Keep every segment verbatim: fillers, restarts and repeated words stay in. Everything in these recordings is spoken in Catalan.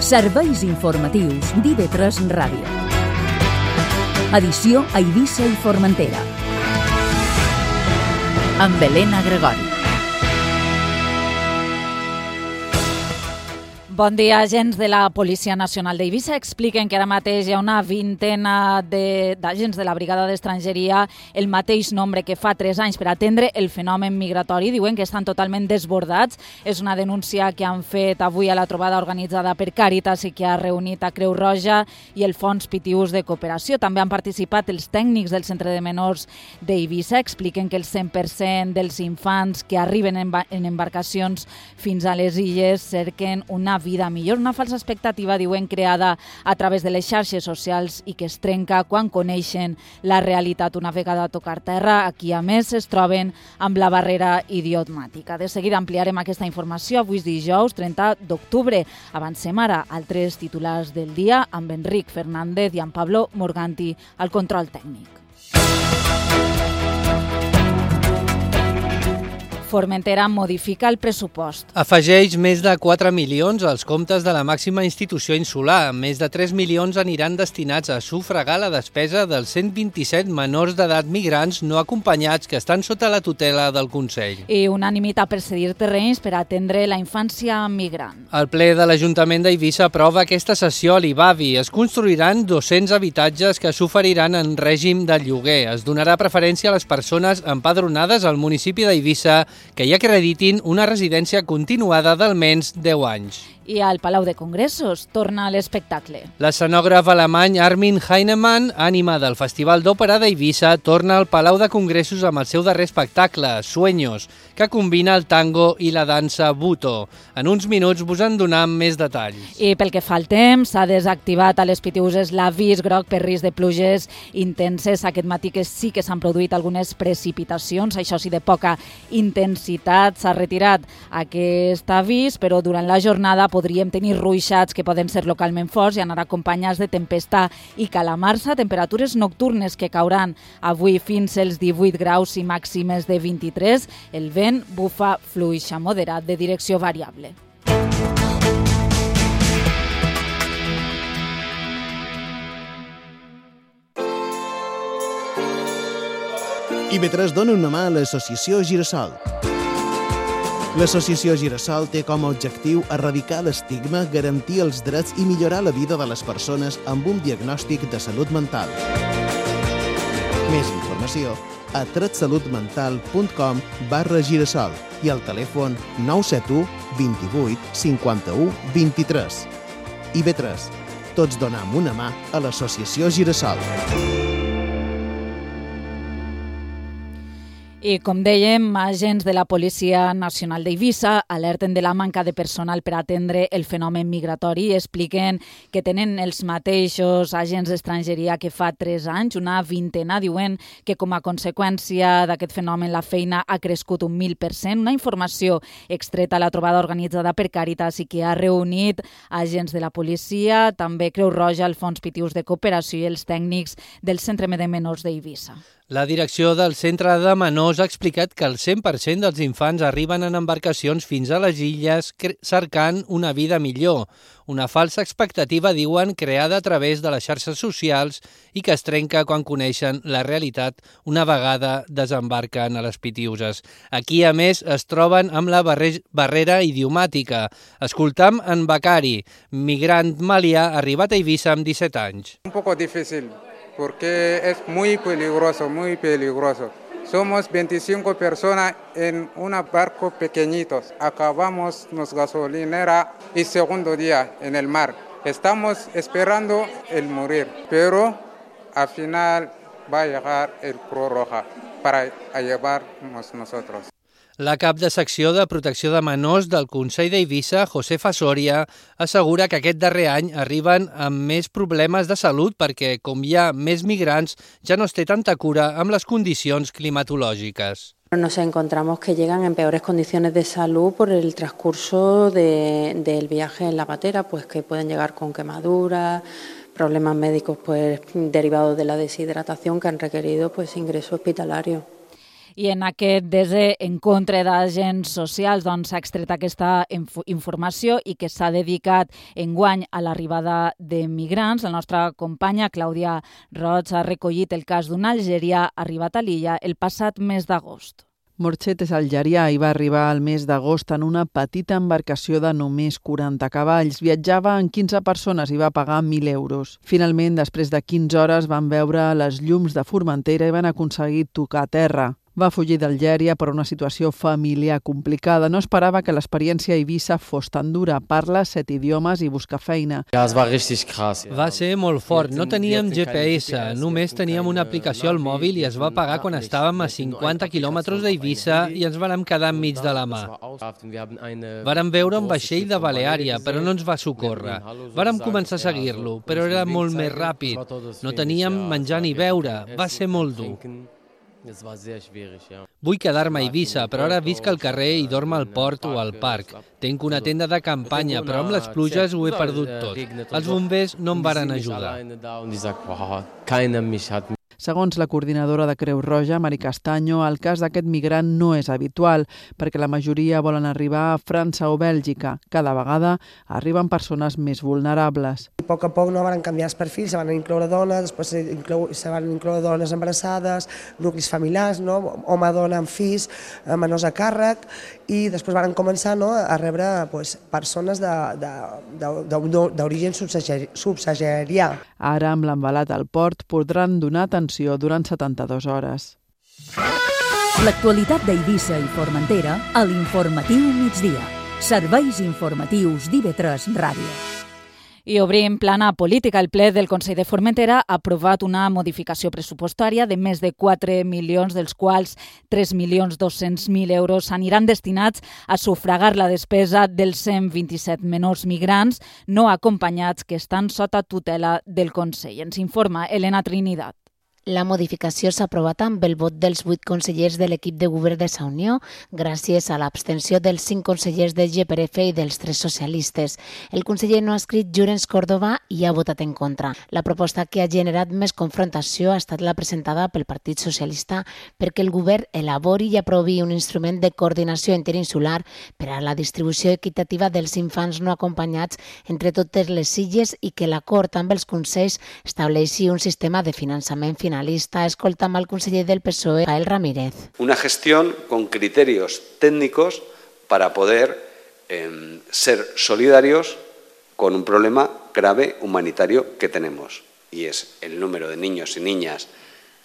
Serveis informatius d'I V tres Ràdio. Edició a Eivissa i Formentera. Amb Helena Gregori. Bon dia, agents de la Policia Nacional d'Eivissa expliquen que ara mateix hi ha una vintena d'agents de la Brigada d'Estrangeria, el mateix nombre que fa tres anys per atendre el fenomen migratori. Diuen que estan totalment desbordats. És una denúncia que han fet avui a la trobada organitzada per Càritas i que ha reunit a Creu Roja i el Fons Pitiús de Cooperació. També han participat els tècnics del Centre de Menors d'Eivissa. Expliquen que el cent per cent dels infants que arriben en embarcacions fins a les illes cerquen una vida millor, una falsa expectativa, diuen, creada a través de les xarxes socials i que es trenca quan coneixen la realitat una vegada a tocar terra. Aquí, a més, es troben amb la barrera idiomàtica. De seguida ampliarem aquesta informació. Avui és dijous, trenta d'octubre. Avancem ara altres titulars del dia amb Enric Fernández i amb Pablo Morganti al control tècnic. Formentera modifica el pressupost. Afegeix més de quatre milions als comptes de la màxima institució insular. Més de tres milions aniran destinats a sufragar la despesa dels cent vint-i-set menors d'edat migrants no acompanyats que estan sota la tutela del Consell. I unanimitat per cedir terrenys per atendre la infància migrant. El ple de l'Ajuntament d'Eivissa aprova aquesta sessió a l'I B A V I. Es construiran dos-cents habitatges que s'oferiran en règim de lloguer. Es donarà preferència a les persones empadronades al municipi d'Eivissa que hi acreditin una residència continuada d'almenys deu anys. I al Palau de Congressos torna l'espectacle. L'escenògraf alemany Armin Heinemann, ànima del Festival d'Òpera d'Eivissa, torna al Palau de Congressos amb el seu darrer espectacle, Sueños, que combina el tango i la dansa buto. En uns minuts vos en donem més detalls. I pel que fa al temps, s'ha desactivat a les Pitiüses l'avís groc per risc de pluges intenses. Aquest matí que sí que s'han produït algunes precipitacions, això sí de poca intensitat. S'ha retirat aquest avís, però durant la jornada podríem tenir ruixats que poden ser localment forts i anar acompanyats de tempesta i calamarsa, temperatures nocturnes que cauran avui fins als divuit graus i màximes de vint-i-tres. El vent bufa fluix a moderat de direcció variable. I V tres dona una mà a l'associació Girasol. L'associació Girasol té com a objectiu erradicar l'estigma, garantir els drets i millorar la vida de les persones amb un diagnòstic de salut mental. Més informació a tretsalutmental punt com barra girasol i al telèfon nou set u vint-i-vuit cinquanta-u vint-i-tres. I V tres. Tots donem una mà a l'associació Girasol. I com dèiem, agents de la Policia Nacional d'Eivissa alerten de la manca de personal per atendre el fenomen migratori i expliquen que tenen els mateixos agents d'estrangeria que fa tres anys, una vintena. Diuen que com a conseqüència d'aquest fenomen la feina ha crescut un mil per cent. Una informació extreta a la trobada organitzada per Càritas i que ha reunit agents de la policia, també Creu Roja, el Fons Pitiús de Cooperació i els tècnics del Centre de Menors d'Eivissa. La direcció del Centre de Menors ha explicat que el cent per cent dels infants arriben en embarcacions fins a les illes cercant una vida millor. Una falsa expectativa, diuen, creada a través de les xarxes socials i que es trenca quan coneixen la realitat una vegada desembarquen a les Pitiüses. Aquí, a més, es troben amb la barrera idiomàtica. Escoltam en Becari, migrant malià arribat a Eivissa amb disset anys. Un poco difícil. Porque es muy peligroso, muy peligroso. Somos veinticinco personas en un barco pequeñito. Acabamos nuestra gasolinera y segundo día en el mar. Estamos esperando el morir, pero al final va a llegar el Cruz Roja para llevarnos nosotros. La cap de secció de protecció de menors del Consell d'Eivissa, Josefa Soria, assegura que aquest darrer any arriben amb més problemes de salut perquè, com hi ha més migrants, ja no es té tanta cura amb les condicions climatològiques. Nos encontramos que llegan en peores condiciones de salud por el transcurso de, del viaje en la patera, pues que pueden llegar con quemaduras, problemas médicos pues derivados de la deshidratación que han requerido pues ingreso hospitalario. I en aquest desencontre d'agents socials doncs, s'ha extret aquesta informació i que s'ha dedicat enguany a l'arribada de migrants. La nostra companya Clàudia Roig ha recollit el cas d'un algerià arribat a l'illa el passat mes d'agost. Morchet és algerià i va arribar al mes d'agost en una petita embarcació de només quaranta cavalls. Viatjava en quinze persones i va pagar mil euros. Finalment, després de quinze hores, van veure les llums de Formentera i van aconseguir tocar terra. Va fugir d'Algèria per una situació familiar complicada. No esperava que l'experiència a Eivissa fos tan dura. Parla set idiomes i busca feina. Va ser molt fort. No teníem G P S, només teníem una aplicació al mòbil i es va pagar quan estàvem a cinquanta quilòmetres d'Eivissa i ens vàrem quedar enmig de la mà. Vàrem veure un vaixell de Baleària, però no ens va socórrer. Vàrem començar a seguir-lo, però era molt més ràpid. No teníem menjar ni beure. Va ser molt dur. Vull quedar-me a Eivissa, però ara visc al carrer i dormo al port o al parc. Tenc una tenda de campanya, però amb les pluges ho he perdut tot. Els bombers no em varen ajudar. Segons la coordinadora de Creu Roja, Mari Castanyo, el cas d'aquest migrant no és habitual, perquè la majoria volen arribar a França o Bèlgica. Cada vegada arriben persones més vulnerables. A poc a poc no van canviar els perfils, se van incloure dones, després se, inclou, se van incloure dones embarassades, nuclis familiars, no? Home, dona amb fills, menors a càrrec, i després van començar no, a rebre pues, persones d'origen subsaharià. Ara, amb l'embalat al port, podran donar atenció durant setanta-dues hores. L'actualitat d'Eivissa i Formentera a l'Informatiu Migdia. Serveis informatius d'I V tres Ràdio. I obrim plana política. El ple del Consell de Formentera ha aprovat una modificació pressupostària de més de quatre milions, dels quals tres milions dos-cents mil euros aniran destinats a sufragar la despesa dels cent vint-i-set menors migrants no acompanyats que estan sota tutela del Consell. Ens informa Elena Trinidad. La modificació s'ha aprovat amb el vot dels vuit consellers de l'equip de govern de Sa Unió, gràcies a l'abstenció dels cinc consellers de G P R F i dels tres socialistes. El conseller no adscrit Llorenç Còrdova i ha votat en contra. La proposta que ha generat més confrontació ha estat la presentada pel Partit Socialista perquè el govern elabori i aprovi un instrument de coordinació interinsular per a la distribució equitativa dels infants no acompanyats entre totes les illes i que l'acord amb els consells estableixi un sistema de finançament final. Escoltamos al conseller del P S O E, Jael Ramírez. Una gestión con criterios técnicos para poder eh, ser solidarios con un problema grave humanitario que tenemos, y es el número de niños y niñas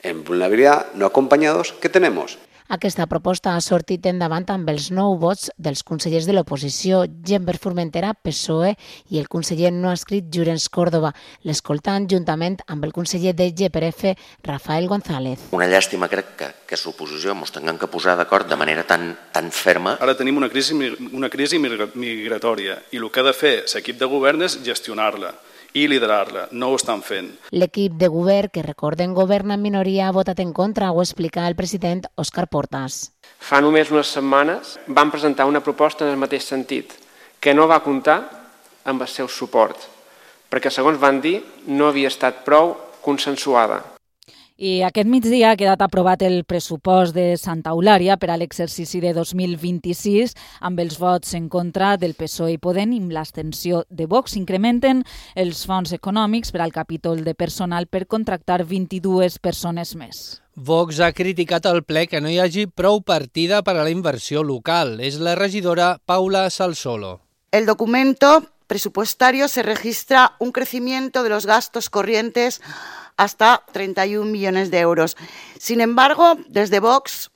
en vulnerabilidad no acompañados que tenemos. Aquesta proposta ha sortit endavant amb els nou vots dels consellers de l'oposició, Gent per Formentera, P S O E i el conseller no adscrit Llorenç Còrdova, l'escoltant juntament amb el conseller de G P R F, Rafael González. Una llàstima crec que, que l'oposició ens tinguem que posar d'acord de manera tan, tan ferma. Ara tenim una crisi, una crisi migratòria i el que ha de fer l'equip de govern és gestionar-la i liderar-la. No ho estan fent. L'equip de govern, que recorden governa en minoria, ha votat en contra, ho explica el president Òscar Portas. Fa només unes setmanes van presentar una proposta en el mateix sentit, que no va comptar amb el seu suport, perquè, segons van dir, no havia estat prou consensuada. I aquest migdia ha quedat aprovat el pressupost de Santa Eulària per a l'exercici de dos mil vint-i-sis amb els vots en contra del P S O E i Podem i amb l'abstenció de Vox. Incrementen els fons econòmics per al capítol de personal per contractar vint-i-dues persones més. Vox ha criticat al ple que no hi hagi prou partida per a la inversió local. És la regidora Paula Salsolo. El documento presupuestario se registra un crecimiento de los gastos corrientes hasta treinta y un millones de euros. Sin embargo, desde Vox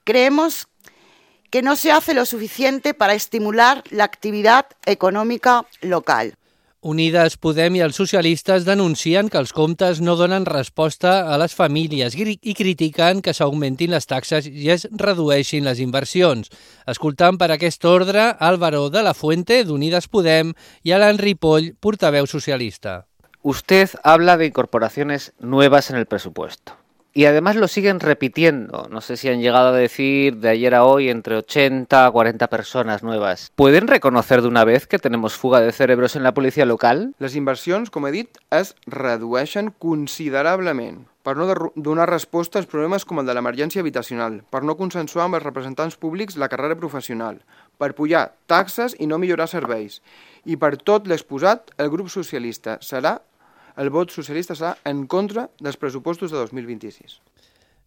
creemos que no se hace lo suficiente para estimular la actividad econòmica local. Unides Podem i els socialistes denuncien que els comptes no donen resposta a les famílies i critiquen que s'augmentin les taxes i es redueixin les inversions. Escoltant per aquest ordre Álvaro de la Fuente, d'Unides Podem, i Alan Ripoll, portaveu socialista. Usted habla de incorporaciones nuevas en el presupuesto y además lo siguen repitiendo. No sé si han llegado a decir de ayer a hoy entre ochenta a cuarenta personas nuevas. ¿Pueden reconocer de una vez que tenemos fuga de cerebros en la policia local? Les inversions, com he dit, es redueixen considerablement. per no donar resposta als problemes com el de l'emergència habitacional, per no consensuar amb els representants públics la carrera professional, per pujar taxes i no millorar serveis. I per tot l'exposat, el grup socialista serà, el vot socialista serà en contra dels pressupostos de dos mil vint-i-sis.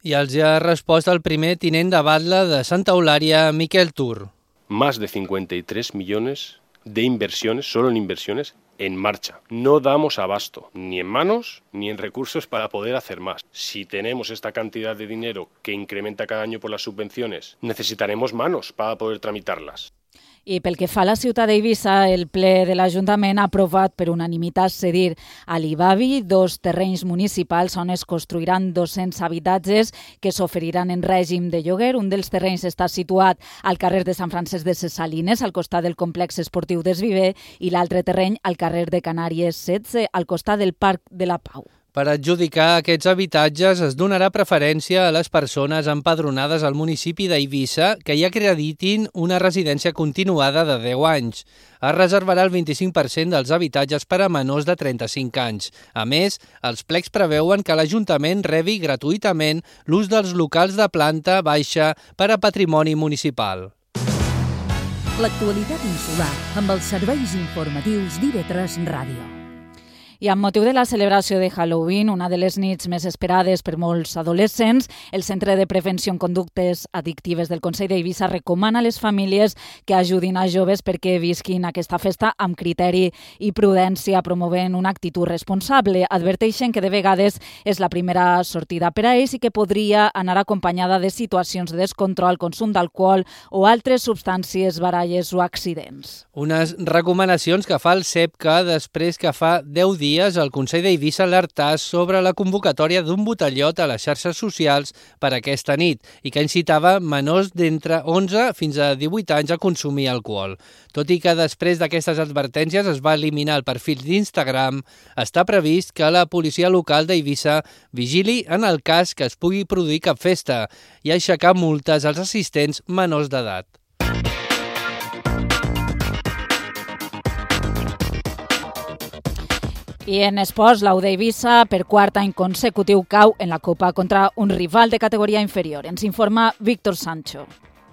I els ha respost el primer tinent de batlle de Santa Eulària, Miquel Tur. Más de cincuenta y tres millones de inversiones, solo en inversiones, en marcha. No damos abasto, ni en manos ni en recursos para poder hacer más. Si tenemos esta cantidad de dinero que incrementa cada año por las subvenciones, necesitaremos manos para poder tramitarlas. I pel que fa a la ciutat d'Eivissa, el ple de l'Ajuntament ha aprovat per unanimitat cedir a l'Ibavi dos terrenys municipals on es construiran dos-cents habitatges que s'oferiran en règim de lloguer. Un dels terrenys està situat al carrer de Sant Francesc de ses Salines, al costat del complex esportiu d'Esviver, i l'altre terreny al carrer de Canàries setze, al costat del Parc de la Pau. Per adjudicar aquests habitatges es donarà preferència a les persones empadronades al municipi d'Eivissa que hi acreditin una residència continuada de deu anys. Es reservarà el vint-i-cinc per cent dels habitatges per a menors de trenta-cinc anys. A més, els plecs preveuen que l'Ajuntament rebi gratuïtament l'ús dels locals de planta baixa per a patrimoni municipal. L'actualitat insular amb els serveis informatius d'I V tres Ràdio. I amb motiu de la celebració de Halloween, una de les nits més esperades per molts adolescents, el Centre de Prevenció en Conductes Addictives del Consell d'Eivissa recomana a les famílies que ajudin a joves perquè visquin aquesta festa amb criteri i prudència, promovent una actitud responsable. Adverteixen que de vegades és la primera sortida per a ells i que podria anar acompanyada de situacions de descontrol, consum d'alcohol o altres substàncies, baralles o accidents. Unes recomanacions que fa el SEPCA després que fa deu dies el Consell d'Eivissa alertàs sobre la convocatòria d'un botellot a les xarxes socials per aquesta nit i que incitava menors d'entre onze fins a divuit anys a consumir alcohol. Tot i que després d'aquestes advertències es va eliminar el perfil d'Instagram, està previst que la policia local d'Eivissa vigili en el cas que es pugui produir cap festa i aixecar multes als assistents menors d'edat. I en esports, l'U d'Eivissa per quart any consecutiu cau en la Copa contra un rival de categoria inferior. Ens informa Víctor Sancho.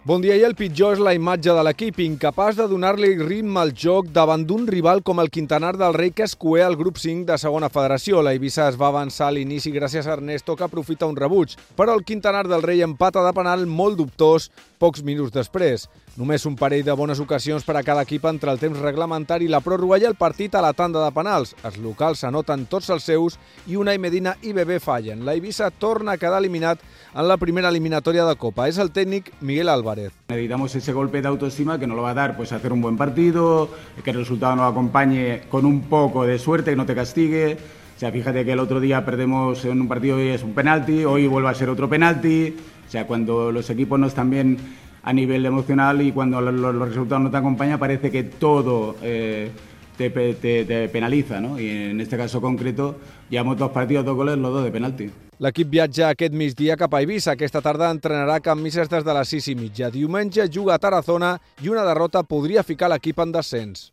Bon dia, i el pitjor és la imatge de l'equip, incapaç de donar-li ritme al joc davant d'un rival com el Quintanar del Rei, que es coé al grup cinc de segona federació. L'Eivissa es va avançar a l'inici gràcies a Ernesto, que aprofita un rebuig, però el Quintanar del Rei empata de penal molt dubtós pocs minuts després. Només un parell de bones ocasions per a cada equip entre el temps reglamentari, la pròrroga i el partit a la tanda de penals. Els locals s'anoten tots els seus i Unai Medina i Bebé fallen. L'Eivissa torna a quedar eliminat en la primera eliminatòria de Copa. És el tècnic Miguel Álvarez. Necesitamos ese golpe de autoestima que nos lo va a dar pues hacer un buen partido, que el resultado nos acompañe con un poco de suerte, que no te castigue. O sea, fíjate que el otro día perdemos en un partido y es un penalti, hoy vuelve a ser otro penalti. O sea, cuando los equipos no están bien a nivel emocional y cuando los, los resultados no te acompañan, parece que todo eh, te, te, te penaliza, ¿no? Y en este caso concreto, llevamos dos partidos, dos goles, los dos de penalti. L'equip viatja aquest migdia cap a Eivissa. Aquesta tarda entrenarà Can Misses des de les sis i mitja. Diumenge juga a Tarazona i una derrota podria ficar l'equip en descens.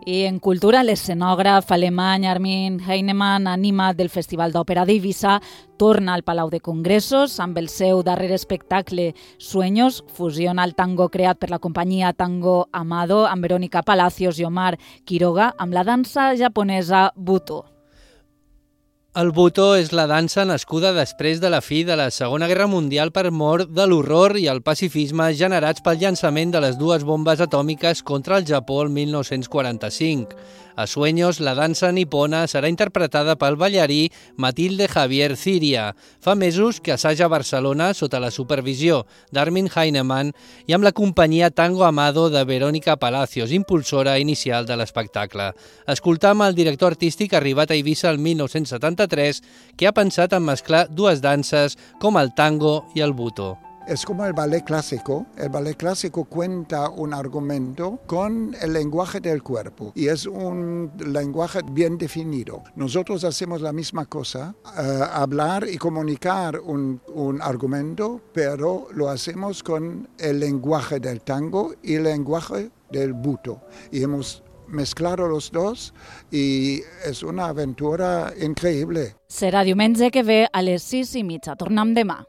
I en cultura, l'escenògraf alemany Armin Heinemann, animat del Festival d'Òpera d'Eivissa, torna al Palau de Congressos amb el seu darrer espectacle Sueños, fusiona el tango creat per la companyia Tango Amado amb Verónica Palacios i Omar Quiroga amb la dansa japonesa Buto. El Buto és la dansa nascuda després de la fi de la Segona Guerra Mundial per mort de l'horror i el pacifisme generats pel llançament de les dues bombes atòmiques contra el Japó el mil nou-cents quaranta-cinc. A Sueños, la dansa nipona serà interpretada pel ballarí Matilde Javier Ciria. Fa mesos que assaja a Barcelona sota la supervisió d'Armin Heinemann i amb la companyia Tango Amado de Verónica Palacios, impulsora inicial de l'espectacle. Escoltam el director artístic arribat a Eivissa el mil nou-cents setanta-tres, que ha pensat en mesclar dues danses com el tango i el buto. Es como el ballet clásico. El ballet clásico cuenta un argumento con el lenguaje del cuerpo y es un lenguaje bien definido. Nosotros hacemos la misma cosa, uh, hablar y comunicar un, un argumento, pero lo hacemos con el lenguaje del tango y el lenguaje del buto. Y hemos mezclar los dos y es una aventura increíble. Serà diumenge que ve a les sis i mitja. Tornem demà.